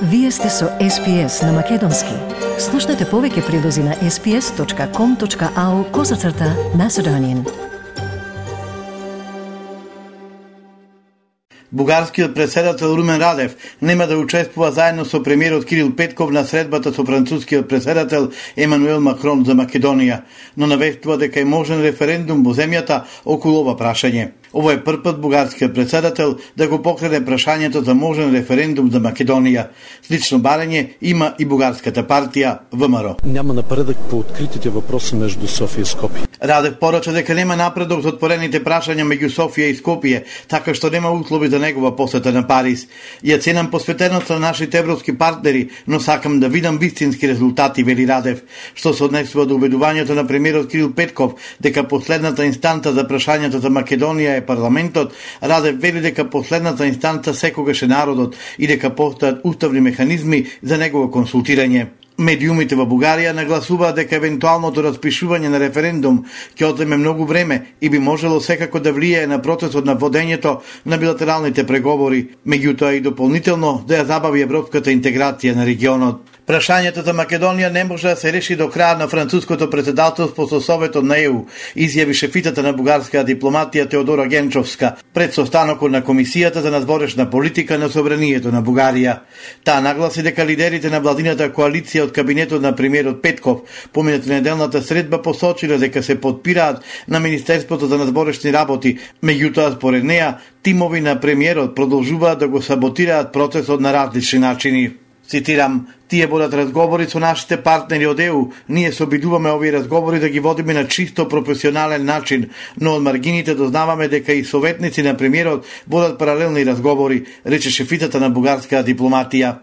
Вие сте со SPS на Македонски. Слушнете повеќе прилози на sps.com.au/Macedonian. Бугарскиот претседател Румен Радев нема да учествува заедно со премиерот Кирил Петков на средбата со францускиот претседател Емануел Макрон за Македонија, но навестува дека е можен референдум во земјата околу ова прашање. Ово е прв пат бугарскиот претседател да го покрене прашањето за можен референдум за Македонија. Слично барање има и бугарската партија ВМРО. Няма напредок по откритите въпроси меѓу Софија и Скопје. Радев порача дека нема напредок за отворените прашања меѓу Софија и Скопје, така што нема услови за негова посета на Париз. Ја ценам посветеноста на нашите европски партнери, но сакам да видам вистински резултати, вели Радев, што се однесува до убедувањето на премиерот Кирил Петков дека последната инстанца за прашањето за Македонија е парламентот. Радев вели дека последната инстанца секогаш е народот и дека постојат уставни механизми за негово консултирање. Медиумите во Бугарија нагласуваат дека евентуалното распишување на референдум ќе одземе многу време и би можело секако да влијае на процесот на водењето на билатералните преговори, меѓутоа и дополнително да ја забави европската интеграција на регионот. Прашањето за Македонија не може да се реши до крај на француското претседателство со Советот на ЕУ, изјави шефитата на бугарската дипломатија Теодора Генчовска пред состанокот на Комисијата за надворешна политика на собранието на Бугарија. Таа нагласи дека лидерите на владината коалиција од кабинетот на премиерот Петков помината неделната средба посочиле дека се подпираат на Министерството за надворешни работи, меѓутоа според неа тимови на премиерот продолжуваат да го саботираат процесот на различни начини. Цитирам: "Тие водат разговори со нашите партнери од ЕУ. Ние се обидуваме овие разговори да ги водиме на чисто професионален начин, но од маргините дознаваме дека и советници на премиерот водат паралелни разговори", рече шефитата на бугарската дипломатија.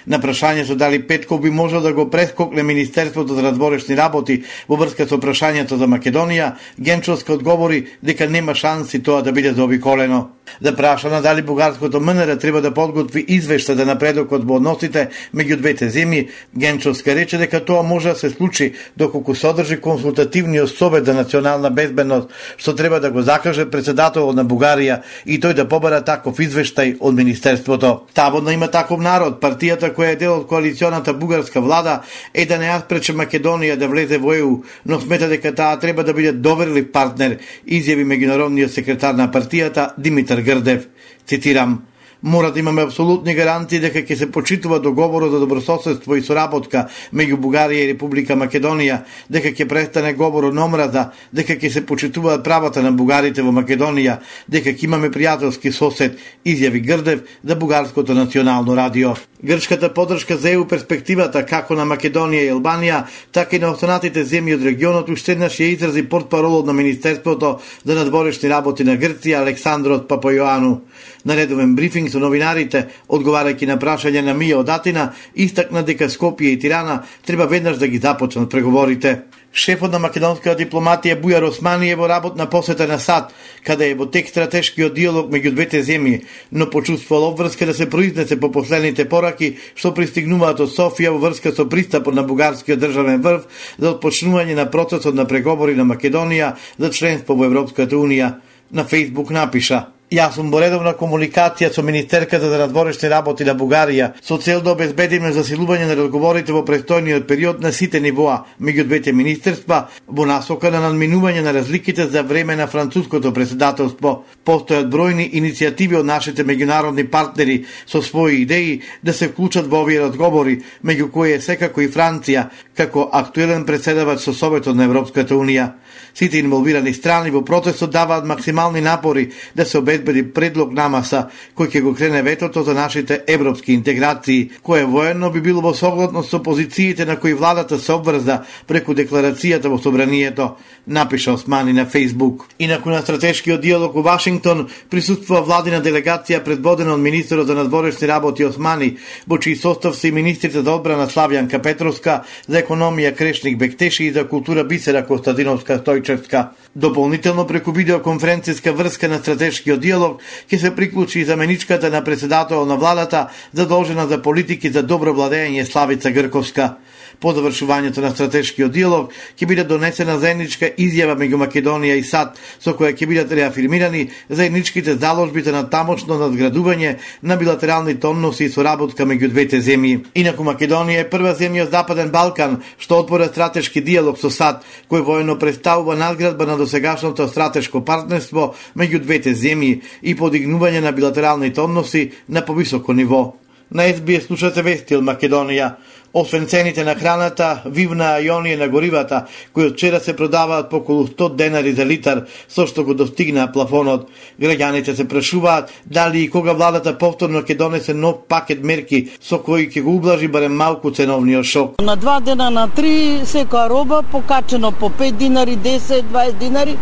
На прашањето дали Петков би можел да го прескокне Министерството за надворешни работи во врска со прашањето за Македонија, Генчовска одговори дека нема шанси тоа да биде заобиколено. Да прашана дали бугарското МНР треба да подготви извештај за напредокот во односите меѓу двете земји, Генчовска рече дека тоа може да се случи доколку се одржи консултативниот совет за национална безбедност, што треба да го закаже претседателот на Бугарија и тој да побара таков извештај од Министерството. Слободно има таков народ, партијата која е дел од коалиционата бугарска влада, е да не ја спрече Македонија да влезе во ЕУ, но смета дека таа треба да биде доверлив партнер, изјави меѓународниот секретар на партијата Димитар Грдев. Цитирам: "Мора да имаме апсолутни гарантии дека ќе се почитува договорот за добрососедство и соработка меѓу Бугарија и Република Македонија, дека ќе престане говорот на омраза, дека ќе се почитуваат правата на бугарите во Македонија, дека ќе имаме пријателски сосед", изјави Грдев за бугарското национално радио. Грчката поддршка за ЕУ перспективата како на Македонија и Албанија, така и на останатите земји од регионот уште еднаш ја изрази портпаролот на Министерството за надворешни работи на Грција Александрос Папајоану. На редовен брифинг со новинарите, одговарајќи на прашање на Мија од Атина, истакна дека Скопје и Тирана треба веднаш да ги започнат преговорите. Шефот на македонската дипломатија Бујар Османи е во работна посета на САД, каде е во тек стратешкиот диалог меѓу двете земји, но почувствувал обврска да се произнесе по последните пораки што пристигнуваат од Софија во врска со пристапот на бугарскиот државен врв за отпочнување на процесот на преговори на Македонија за членство во Европската унија. На Фејсбук напиша: "Јас сум во редовна комуникација со Министерката за надворешни работи на Бугарија со цел да обезбедиме засилување на разговорите во престојниот период на сите нивоа меѓу двете министерства во насока на надминување на разликите за време на француското претседателство. Постојат бројни иницијативи од нашите меѓународни партнери со своји идеи да се вклучат во овие разговори, меѓу кои е секако и Франција, како актуелен претседавач со Советот на Европската унија. Сите инволвирани страни во процесот даваат максимални напори да се обезбеди предлог намаса кој ќе го крене ветото за нашите европски интеграции, кое воено би било во согласност со позициите на кои владата се обврза преку декларацијата во собранието, напиша Османи на Фејсбук. Инаку на стратешкиот диалог во Вашингтон присуствува владина делегација предводена од министерот за надворешни работи Османи, во чиј состав се и министрите за одбрана Славјанка Петровска, за економија Крешник Бектеши и за култура Бисера Костадиновска Стојчевска. Дополнително преку видеоконференцијска врска на стратешкиот диалог ќе се приклучи и заменичката на претседател на владата задолжена за политики за добро владење Славица Грковска. По завршувањето на стратешкиот диалог ќе биде донесена заедничка изјава меѓу Македонија и САД, со која ќе бидат реафирмирани заедничките заложбите на тамошно надградување на билатералните односи и соработка меѓу двете земји. Инаку Македонија е прва земја од Западен Балкан што отвора стратешки диалог со САД, кој воено представува надградба на досегашното стратешко партнерство меѓу двете земји и подигнување на билатералните односи на повисоко ниво. На СБС слушате вести од Македонија. Освен цените на храната, вивна и оние на горивата, кои од вчера се продаваат по околу 100 денари за литар, со што го достигна плафонот. Граѓаните се прашуваат дали и кога владата повторно ќе донесе нов пакет мерки со кои ќе го ублажи барем малку ценовниот шок. На 2 дена, на 3, секоја роба покачено по 5 динари, 10, 20 динари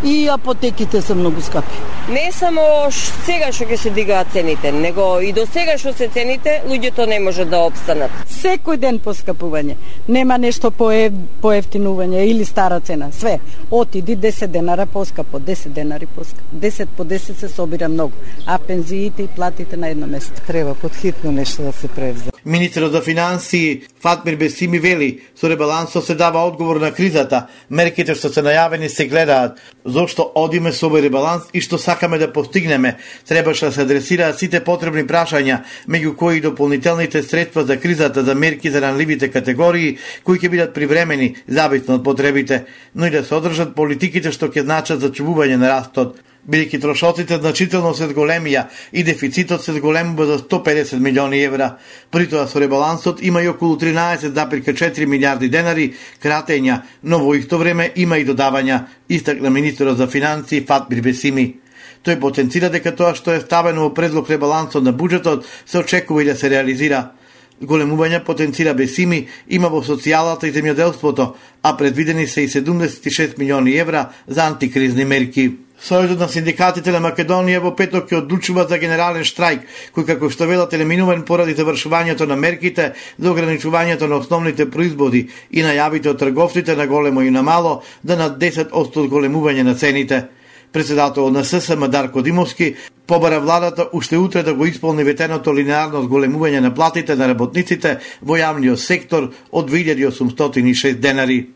и апотеките се многу скапи. Не само сега што ќе се дигаат цените, него и до сега што се цените, луѓето не може да опстанат. Секој ден поскапување. Нема нешто поевтинување или стара цена. Све. Отиди 10 денара поскапо, 10 денари поскапо. 10 по 10 се собира многу. А пензиите и платите на едно место. Треба подхитно нешто да се превзе. Министерот за финансии Фатмир Бесими вели, со ребалансот се дава одговор на кризата, мерките што се најавени се гледаат. Зошто одиме со овој ребаланс и што сакаме да постигнеме, требаше да се адресираат сите потребни прашања, меѓу кои дополнителните средства за кризата за мерки за ранливите категории, кои ќе бидат привремени, зависно од потребите, но и да се одржат политиките што ќе значат зачувување на растот. Бидејќи трошоците значително се зголемија и дефицитот се зголемува за 150 милиони евра. При тоа со ребалансот има и околу 13,4 милиарди денари кратења, но во исто време има и додавања, истакна министерот за финансии Фатмир Бесими. Тој потенцира дека тоа што е ставено во предлог ребалансот на буџетот се очекува и да се реализира. Големување потенцира Бесими има во социјалата и земјоделството, а предвидени се и 76 милиони евра за антикризни мерки. Сојузот на синдикатите на Македонија во петок ќе одлучува за генерален штрајк, кој како што велат е неминуван поради завршувањето на мерките за ограничувањето на основните производи и најавите од трговците на големо и на мало да над 10% зголемување на цените. Председател на ССМ Дарко Димовски побара владата уште утре да го исполни ветеното линеарно зголемување на платите на работниците во јавниот сектор од 2806 денари.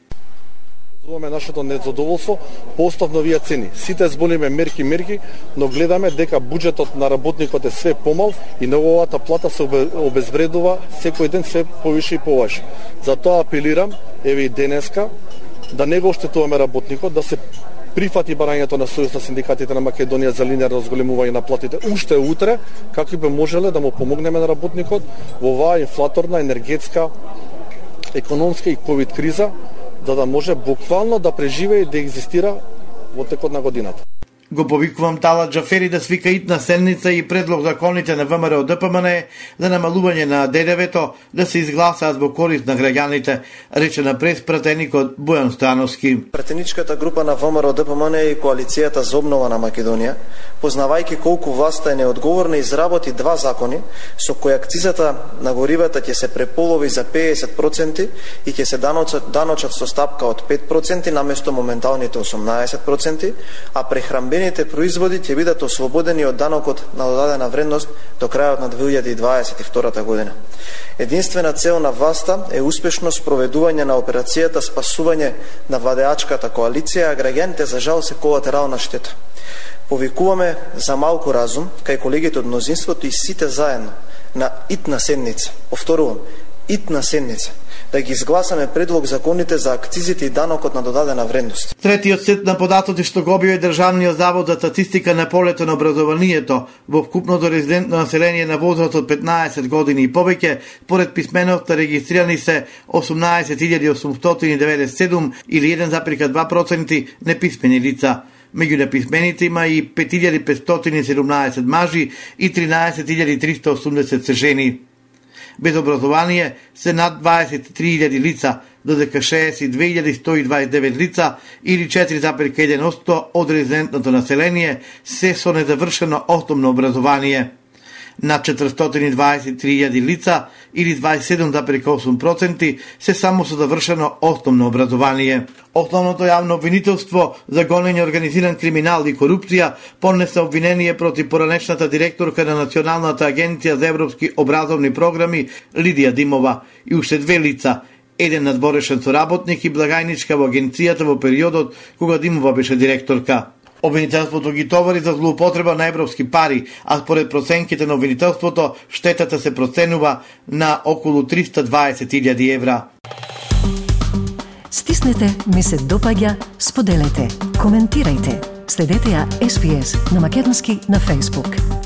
Изразуваме нашето незадоволство по остав новија цени. Сите збориме мерки, но гледаме дека буџетот на работникот е све помал и неговата плата се обезвредува секој ден све повише и повише. Затоа апелирам, еве и денеска, да не го оштетуваме работникот, да се прифати барањето на Сојуз на синдикатите на Македонија за линеарно зголемување на платите уште утре, како би можеле да му помогнеме на работникот во оваа инфлаторна, енергетска, економска и ковид криза, за да може буквално да преживее и да екзистира во текот на годината. Го повикувам Талат Џафери да свика итна седница и предлог законите на ВМРО ДПМН за намалување на ДДВ-то да се изгласаат во корист на граѓаните, рече на преспратеникот Бојан Стојановски. Пратеничката група на ВМРО ДПМН и Коалицијата за обнова на Македонија, познавајќи колку власта е неодговорна, изработи 2 закони со кои акцизата на горивата ќе се преполови за 50% и ќе се даночат со стапка од 5% наместо моменталните 18%, а прехранбените производи ќе бидат ослободени од данокот на додадена вредност до крајот на 2022 година. Единствена цел на власта е успешно спроведување на операцијата спасување на владеачката коалиција, а граѓаните за жал се колатерална штета. Повикуваме за малку разум кај колегите од мнозинството и сите заедно на итна седница. Повторувам, итна седница, да ги изгласаме предлог законите за акцизите и данокот на додадена вредност. Третиот сет на податоци што го објави Државниот завод за статистика на полето на образованието во вкупното резидентно население на возраст од 15 години и повеќе, поред писменоста регистрирани се 18.897 или 1,2% неписмени лица. Меѓу неписмените има и 5.517 мажи и 13.380 се жени. Без образование се над 23.000 лица, додека 62.129 лица или 4,1% од резидентното население се со незавршено основно образование. Над 423.000 лица или 27,8% се само со завршено основно образование. Основното јавно обвинителство за гонење организиран криминал и корупција поднесе обвинение против поранешната директорка на Националната агенција за европски образовни програми Лидија Димова и уште 2 лица, еден надворешен соработник и благајничка во агенцијата во периодот кога Димова беше директорка. Обвинителството ги товари за злоупотреба на европски пари, а според проценките на обвинителството, штетата се проценува на околу 320.000 евра. Стиснете, ми се допаѓа, споделете, коментирајте. Следете ја SPS на Македонски на Facebook.